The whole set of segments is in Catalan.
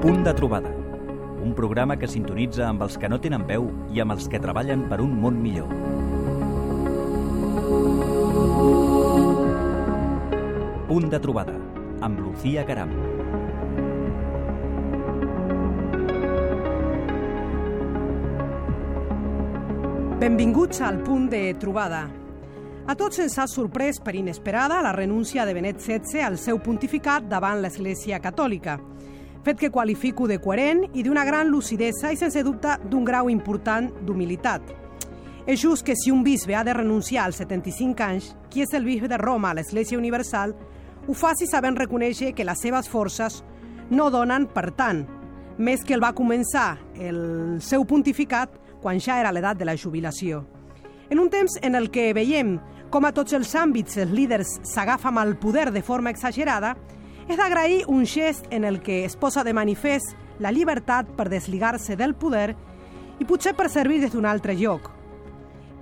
Punt de trobada, un programa que sintonitza amb els que no tenen veu i amb els que treballen per un món millor. Punt de trobada, amb Lucía Caram. Benvinguts al Punt de trobada. A tots ens ha sorprès per inesperada la renúncia de Benet XVI al seu pontificat davant l'Església Catòlica, fet que qualifico de coherent i d'una gran lucidesa i, sense dubte, d'un grau important d'humilitat. És just que si un bisbe ha de renunciar als 75 anys, qui és el bisbe de Roma a l'Església Universal, ho faci sabent reconèixer que les seves forces no donen per tant, més que el va començar el seu pontificat quan ja era l'edat de la jubilació. En un temps en el que veiem com a tots els àmbits els líders s'agafen al poder de forma exagerada, és d'agrair un gest en el que es posa de manifest la llibertat per desligar-se del poder i potser per servir des d'un altre lloc.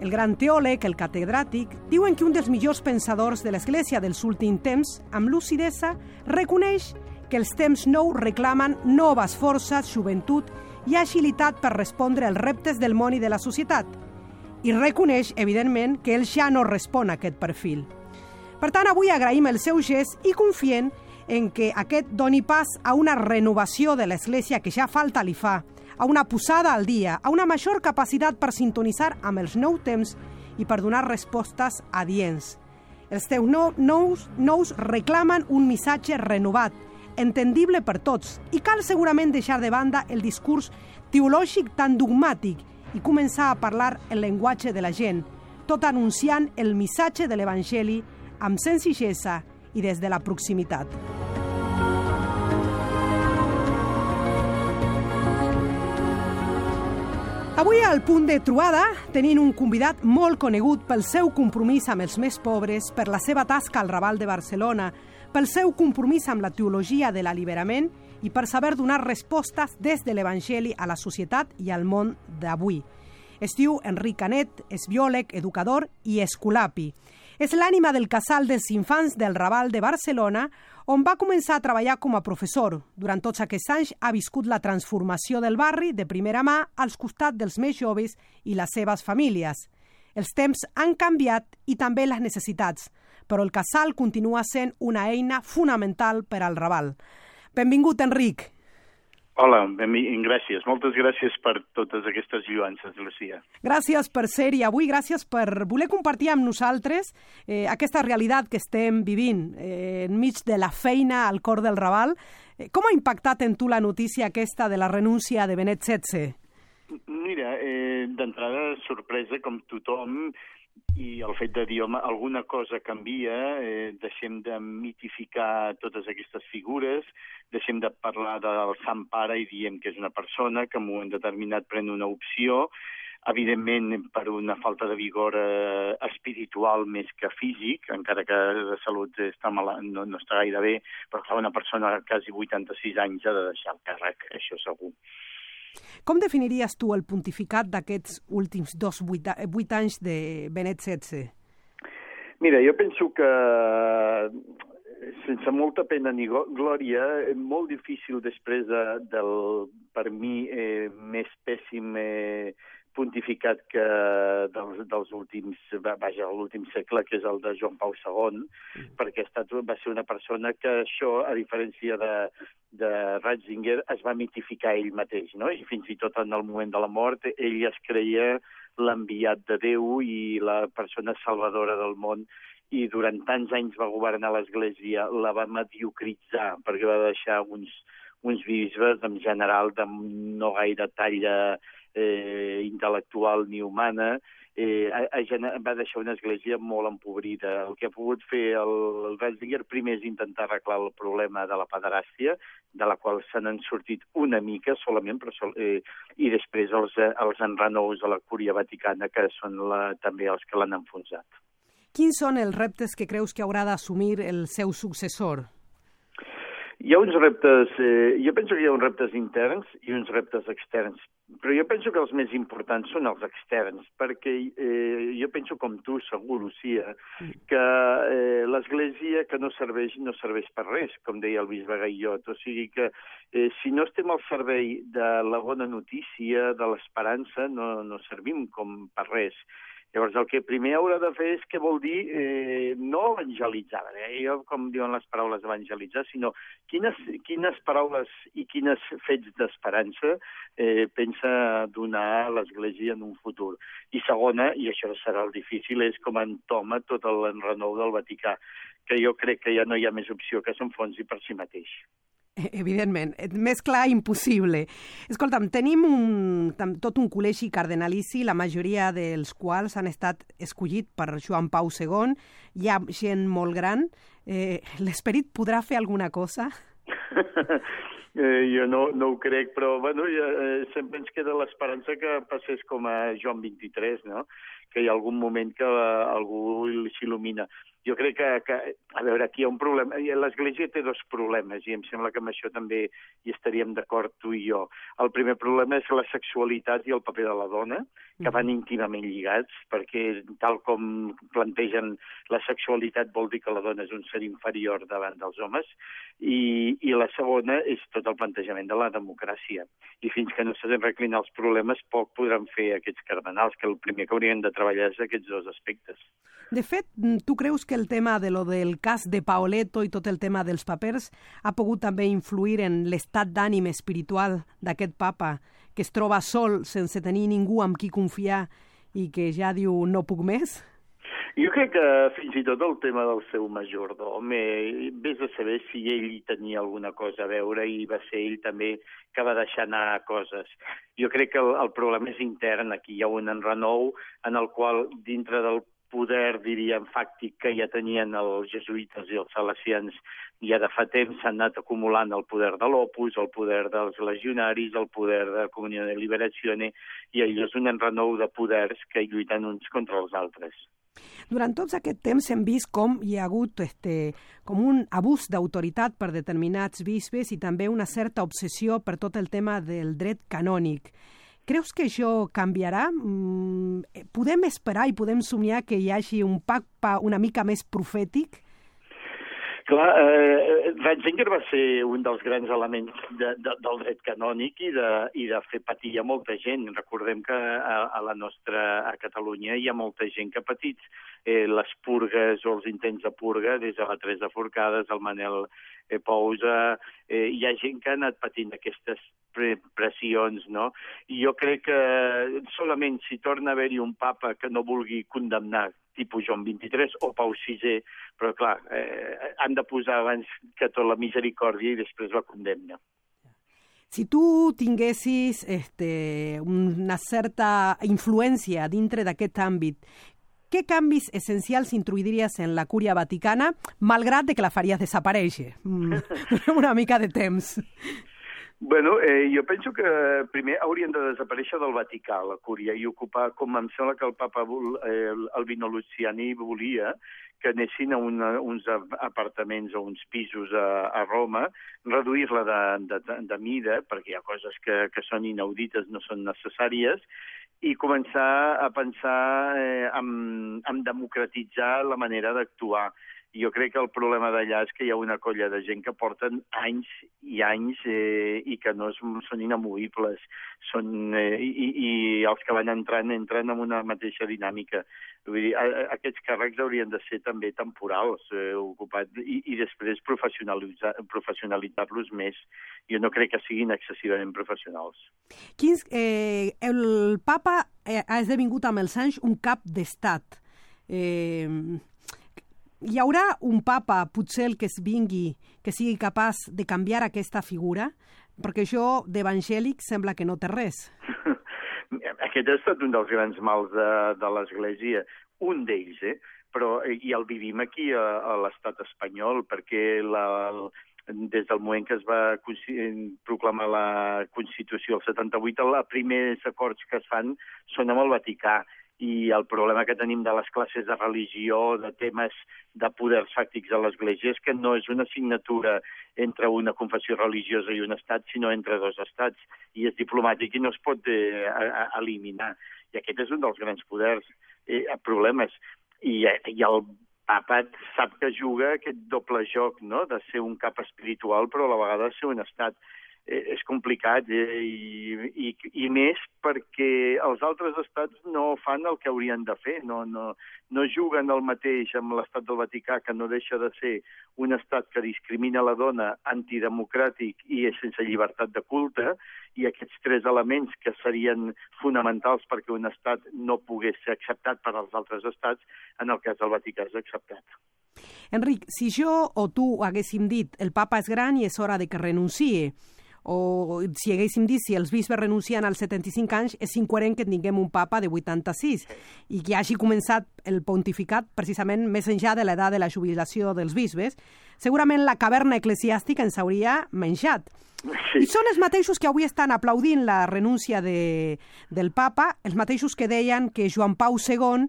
El gran teòleg, el catedràtic, diuen que un dels millors pensadors de l'Església dels últims temps, amb lucidesa, reconeix que els temps nous reclamen noves forces, joventut i agilitat per respondre als reptes del món i de la societat, i reconeix, evidentment, que ell ja no respon a aquest perfil. Per tant, avui agraïm el seu gest i confiem en que aquest doni pas a una renovació de l'Església que ja falta li fa, a una posada al dia, a una major capacitat per sintonitzar amb els nous temps i per donar respostes adients. Els temps nous reclamen un missatge renovat, entendible per tots, i cal segurament deixar de banda el discurs teològic tan dogmàtic i començar a parlar el llenguatge de la gent, tot anunciant el missatge de l'Evangeli amb senzillesa i des de la proximitat. Avui al Punt de trobada tenim un convidat molt conegut pel seu compromís amb els més pobres, per la seva tasca al Raval de Barcelona, pel seu compromís amb la teologia de l'alliberament i per saber donar respostes des de l'Evangeli a la societat i al món d'avui. Es diu Enric Canet, és biòleg, educador i escolapi. És l'ànima del Casal dels Infants del Raval de Barcelona, on va començar a treballar com a professor. Durant tots aquests anys ha viscut la transformació del barri de primera mà als costats dels més joves i les seves famílies. Els temps han canviat i també les necessitats, però el Casal continua sent una eina fonamental per al Raval. Benvingut, Enric. Hola, gràcies. Moltes gràcies per totes aquestes lluances, Lucía. Gràcies per ser-hi avui, gràcies per voler compartir amb nosaltres aquesta realitat que estem vivint enmig de la feina al cor del Raval. Com ha impactat en tu la notícia aquesta de la renúncia de Benet XVI? Mira, d'entrada sorpresa com tothom, i el fet de dir, home, alguna cosa canvia, deixem de mitificar totes aquestes figures, deixem de parlar del Sant Pare i diem que és una persona que en un moment determinat pren una opció, evidentment per una falta de vigor espiritual més que físic, encara que de salut no està gaire bé, però clar, una persona de quasi 86 anys ha de deixar el càrrec, això segur. Com definiries tu el pontificat d'aquests últims 8 anys de Benet XVI? Mira, jo penso que, sense molta pena ni glòria, molt difícil després del, per mi, més pèssim pontificat que dels últims, l'últim segle, que és el de Joan Pau II, perquè va ser una persona que això, a diferència de Ratzinger, es va mitificar ell mateix, no? I fins i tot en el moment de la mort ell es creia l'enviat de Déu i la persona salvadora del món, i durant tants anys va governar l'Església, la va mediocritzar, perquè va deixar uns bisbes en general de no gaire talla intel·lectual ni humana, va deixar una església molt empobrida. El que ha pogut fer el Ratzinger primer és intentar arreglar el problema de la pederàstia, de la qual se n'han sortit una mica solament, i després els enrenous de la Cúria Vaticana, que són també els que l'han enfonsat. Quins són els reptes que creus que haurà d'assumir el seu successor? Hi ha uns reptes, jo penso que hi ha uns reptes interns i uns reptes externs Però jo penso que els més importants són els externs, perquè jo penso com tu, segur, Lucía, que l'Església que no serveix per res, com deia el bisbe Gaillot. O sigui que si no estem al servei de la bona notícia, de l'esperança, no servim com per res. Llavors, el que primer haurà de fer és què vol dir no evangelitzar, com diuen les paraules evangelitzar, sinó quines paraules i quins fets d'esperança pensa donar a l'Església en un futur. I segona, i això serà el difícil, és com entoma tot l'enrenou del Vaticà, que jo crec que ja no hi ha més opció que s'enfonsi per si mateix. Evidentment, més clar impossible. Escolta'm, tenim tot un col·legi cardenalici, la majoria dels quals han estat escollits per Joan Pau II. Hi ha gent molt gran. L'esperit podrà fer alguna cosa? Jo no ho crec, però bueno, sempre ens queda l'esperança que passés com a Joan XXIII, no? Que hi ha algun moment que algú s'il·lumina. Jo crec que, a veure, aquí hi ha un problema. L'Església té dos problemes, i em sembla que amb això també hi estaríem d'acord tu i jo. El primer problema és la sexualitat i el paper de la dona, que van íntimament lligats, perquè tal com plantegen la sexualitat vol dir que la dona és un ser inferior davant dels homes, i la segona és tot el plantejament de la democràcia. I fins que no s'han reclinat els problemes, poc podran fer aquests cardenals, que el primer que haurien de treballar és aquests dos aspectes. De fet, tu creus que el tema del cas de Paoletto i tot el tema dels papers ha pogut també influir en l'estat d'ànim espiritual d'aquest papa, que es troba sol, sense tenir ningú amb qui confiar i que ja diu no puc més? Jo crec que fins i tot el tema del seu majordom, vés a saber si ell hi tenia alguna cosa a veure i va ser ell també que va deixar anar coses. Jo crec que el problema és intern, aquí hi ha un enrenou en el qual dintre del poder, diríem, fàctic que ja tenien els jesuïtes i els salesians ja de fa temps s'han anat acumulant el poder de l'Opus, el poder dels legionaris, el poder de la Comunió de Liberazione, i allò és un enrenou de poders que lluiten uns contra els altres. Durant tots aquest temps hem vist com hi ha hagut com un abús d'autoritat per determinats bisbes i també una certa obsessió per tot el tema del dret canònic. Creus que això canviarà? Podem esperar i podem somiar que hi hagi un papa una mica més profètic? Clar, Ratzinger va ser un dels grans elements del dret canònic i de fer patir a molta gent. Recordem que a Catalunya hi ha molta gent que ha patit les purgues o els intents de purga, des de la Teresa Forcades, el Manel Pousa, hi ha gent que ha anat patint aquestes pressions, no? I jo crec que solament si torna a haver-hi un papa que no vulgui condemnar tipus Joan XXIII o Pau VI, però clar, han de posar abans que tot la misericòrdia i després la condemna. Si tu tinguessis una certa influència dintre d'aquest àmbit, què canvis essencials introduiries en la Cúria Vaticana, malgrat que la faries desaparèixer? Una mica de temps. Bueno, jo penso que primer haurien de desaparèixer del Vaticà, la Cúria, i ocupar, com em sembla que el papa Albino Luciani volia, que anessin a uns apartaments o uns pisos a Roma, reduir-la de mida, perquè hi ha coses que són inaudites, no són necessàries, i començar a pensar en democratitzar la manera d'actuar. Jo crec que el problema d'allà és que hi ha una colla de gent que porten anys i anys i que no són inamovibles. I els que van entren en una mateixa dinàmica. Vull dir, aquests càrrecs haurien de ser també temporals, ocupats, i després professionalitzar-los més. Jo no crec que siguin excessivament professionals. El papa ha esdevingut amb els anys un cap d'estat. Hi haurà un papa, potser el que es vingui, que sigui capaç de canviar aquesta figura? Perquè això d'evangèlic sembla que no té res. Aquest ha estat un dels grans mals de l'Església, un d'ells, però i el vivim aquí a l'estat espanyol, perquè des del moment que es va proclamar la Constitució del 78, els primers acords que es fan són amb el Vaticà, i el problema que tenim de les classes de religió, de temes de poders fàctics a l'Església, és que no és una assignatura entre una confessió religiosa i un estat, sinó entre dos estats, i és diplomàtic i no es pot eliminar. I aquest és un dels grans poders, problemes. I el Papa sap que juga aquest doble joc, no?, de ser un cap espiritual, però a la vegada ser un estat. És complicat i més perquè els altres estats no fan el que haurien de fer, no juguen el mateix amb l'estat del Vaticà, que no deixa de ser un estat que discrimina la dona, antidemocràtic i sense llibertat de culte, i aquests tres elements que serien fonamentals perquè un estat no pogués ser acceptat per als altres estats, en el cas del Vaticà és acceptat. Enric, si jo o tu haguéssim dit el papa és gran i és hora de que renunciï, o si haguéssim dit si els bisbes renuncien als 75 anys, és incoherent que tinguem un papa de 86 i que hagi començat el pontificat precisament més enllà de l'edat de la jubilació dels bisbes, segurament la caverna eclesiàstica ens hauria menjat. Sí. I són els mateixos que avui estan aplaudint la renúncia del papa, els mateixos que deien que Joan Pau II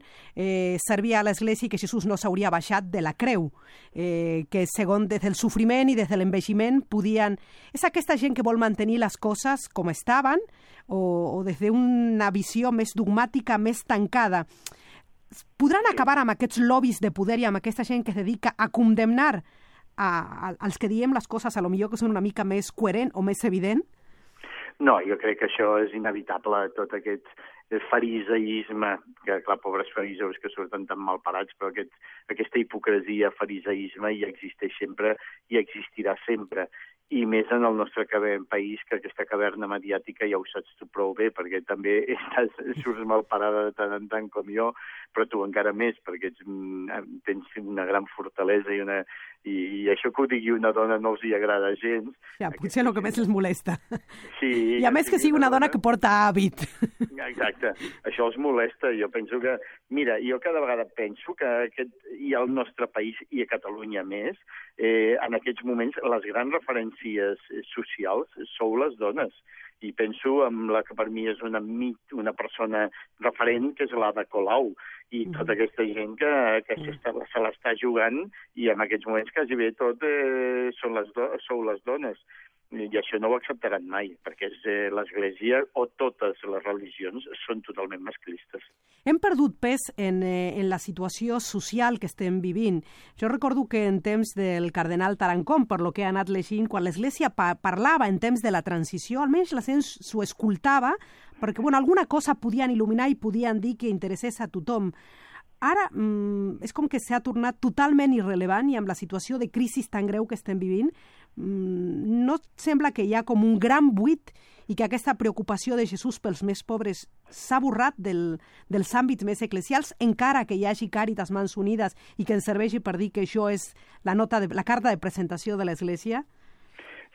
servia a l'Església i que Jesús no s'hauria baixat de la creu, que segons des del sofriment i des de l'envelliment podien... És aquesta gent que vol mantenir les coses com estaven o des d'una visió més dogmàtica, més tancada. Podran acabar amb aquests lobbies de poder i amb aquesta gent que es dedica a condemnar als que diem les coses a lo millor que són una mica més coherent o més evident? No, jo crec que això és inevitable, tot aquest fariseisme, que clar, pobres fariseus que surten tan mal parats, però aquesta hipocresia, fariseisme ja existeix sempre i existirà sempre. I més en el nostre país, que aquesta caverna mediàtica ja ho saps tu prou bé, perquè també surts mal parada de tant en tant com jo, però tu encara més, perquè tens una gran fortalesa i això que ho digui una dona no els hi agrada gens. Ja, potser el que més els molesta. Sí. I a més que sigui una dona que porta hàbit. Exacte, això els molesta. Jo penso que, mira, jo cada vegada penso que i al nostre país i a Catalunya més, en aquests moments les grans referències socials sou les dones. I penso en la que per mi és una persona referent, que és l'Ada Colau, i tota aquesta gent que se l'està jugant, i en aquests moments quasi bé tot sou les dones. I això no ho acceptaran mai, perquè l'Església o totes les religions són totalment masclistes. Hem perdut pes en la situació social que estem vivint. Jo recordo que en temps del cardenal Tarancón, per lo que he anat llegint, quan l'Església parlava en temps de la transició, almenys la gent s'ho escoltava, perquè alguna cosa podien il·luminar i podien dir que interessés a tothom. Ara és com que s'ha tornat totalment irrellevant i amb la situació de crisi tan greu que estem vivint, no sembla que hi ha com un gran buit i que aquesta preocupació de Jesús pels més pobres s'ha borrat dels àmbits més eclesials, encara que hi hagi Càritas, Mans Unides i que ens serveixi per dir que això és la carta de presentació de l'Església?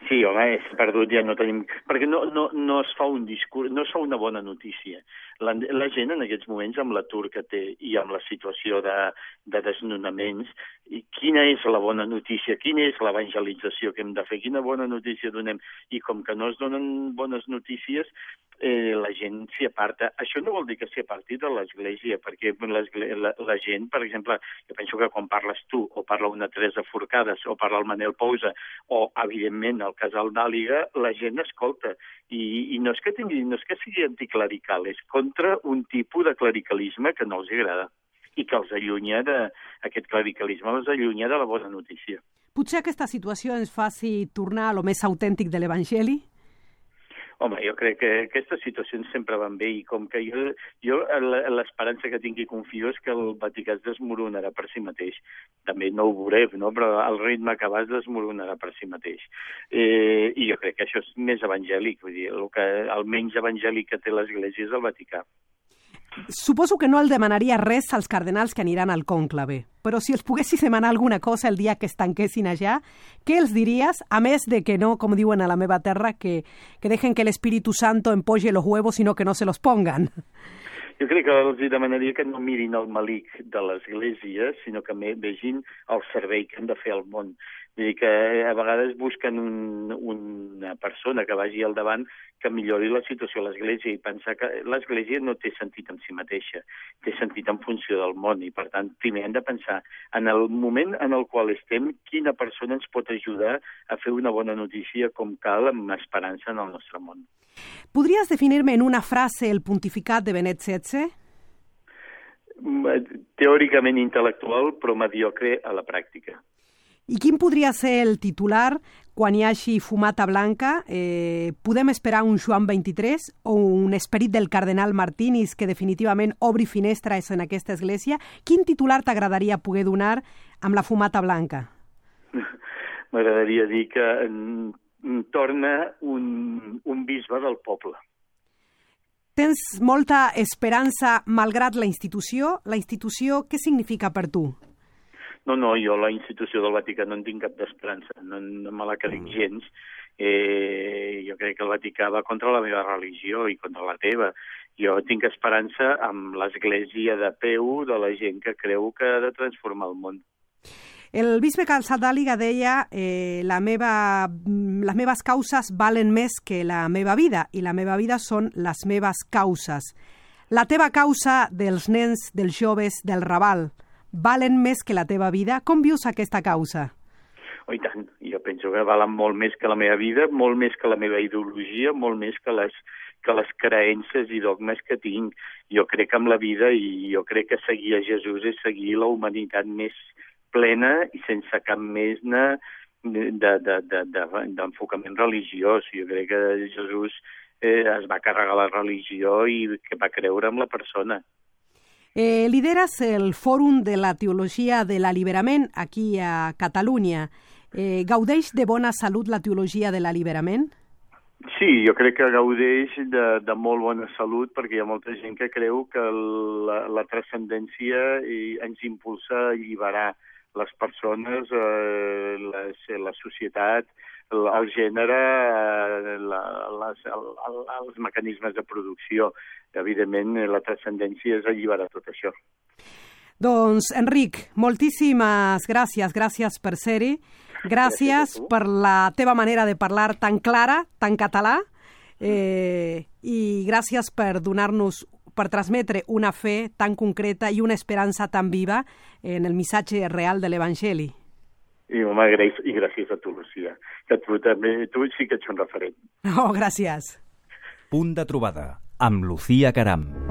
Sí, home, és perdut, ja no tenim... Perquè no es fa un discurs, no es fa una bona notícia. La gent en aquests moments, amb l'atur que té i amb la situació de desnonaments, quina és la bona notícia? Quina és l'evangelització que hem de fer? Quina bona notícia donem? I com que no es donen bones notícies, la gent s'hi aparta. Això no vol dir que s'hi aparti de l'Església, perquè la gent, per exemple, jo penso que quan parles tu, o parla una Teresa Forcades, o parla el Manel Pousa, o, evidentment, el Casal d'Àliga, la gent escolta. I no és que sigui anticlerical, és contra un tipus de clericalisme que no els agrada i que els allunya aquest clericalisme, els allunya de la bona notícia. Potser aquesta situació ens faci tornar a lo més autèntic de l'Evangeli? Home, jo crec que aquestes situacions sempre van bé i com que jo l'esperança que tinc i confio és que el Vaticà es desmoronarà per si mateix. També no ho veurem, no? Però el ritme que va es desmoronarà per si mateix. I jo crec que això és més evangèlic, vull dir, el menys evangèlic que té l'Església és el Vaticà. Suposo que no el demanaria res als cardenals que aniran al cònclave, però si els poguessis demanar alguna cosa el dia que es tanquessin allà, què els diries, a més de que no, com diuen a la meva terra, que dejen que l'Espíritu Santo empolle los huevos, sino que no se los pongan? Jo crec que els demanaria que no mirin el malic de l'Església, sinó que vegin el servei que han de fer al món. Vull dir que a vegades busquen una persona que vagi al davant que millori la situació a l'Església, i pensar que l'Església no té sentit en si mateixa, té sentit en funció del món, i per tant primer hem de pensar en el moment en el qual estem, quina persona ens pot ajudar a fer una bona notícia com cal, amb esperança en el nostre món. ¿Podrías definirme en una frase el pontificat de Benet XVI? Teòricament intel·lectual, però mediocre a la pràctica. I quin podria ser el titular quan hi hagi fumata blanca? Podem esperar un Joan 23 o un esperit del cardenal Martínez que definitivament obri finestres en aquesta església? Quin titular t'agradaria poder donar amb la fumata blanca? M'agradaria dir que torna un bisbe del poble. Tens molta esperança malgrat la institució? La institució, què significa per tu? No, jo la institució del Vaticà no en tinc cap d'esperança, no me la crec gens. Jo crec que el Vaticà va contra la meva religió i contra la teva. Jo tinc esperança amb l'Església de peu de la gent que creu que ha de transformar el món. El bisbe Calçadàliga deia les meves causes valen més que la meva vida i la meva vida són les meves causes. La teva causa dels nens, dels joves, del Raval, valen més que la teva vida? Com vius aquesta causa? Oh, i tant. Jo penso que valen molt més que la meva vida, molt més que la meva ideologia, molt més que les creences i dogmes que tinc. Jo crec en la vida i jo crec que seguir a Jesús és seguir la humanitat més plena i sense cap més d'enfocament religiós. Jo crec que Jesús es va carregar la religió i que va creure en la persona. Lideres el Fòrum de la Teologia de l'Alliberament aquí a Catalunya. Gaudeix de bona salut la teologia de l'alliberament? Sí, jo crec que gaudeix de molt bona salut perquè hi ha molta gent que creu que la transcendència ens impulsa a alliberar les persones, la societat, el gènere, els mecanismes de producció. Evidentment, la transcendència és alliberar tot això. Doncs, Enric, moltíssimes gràcies. Gràcies per ser-hi. Gràcies per la teva manera de parlar tan clara, tan català, i gràcies per donar-nos, per transmetre una fe tan concreta i una esperança tan viva en el missatge real de l'Evangeli. I gràcies a tu, Lucía, que tu sí que ets un referent. Oh, gràcies. Punt de trobada amb Lucía Caram.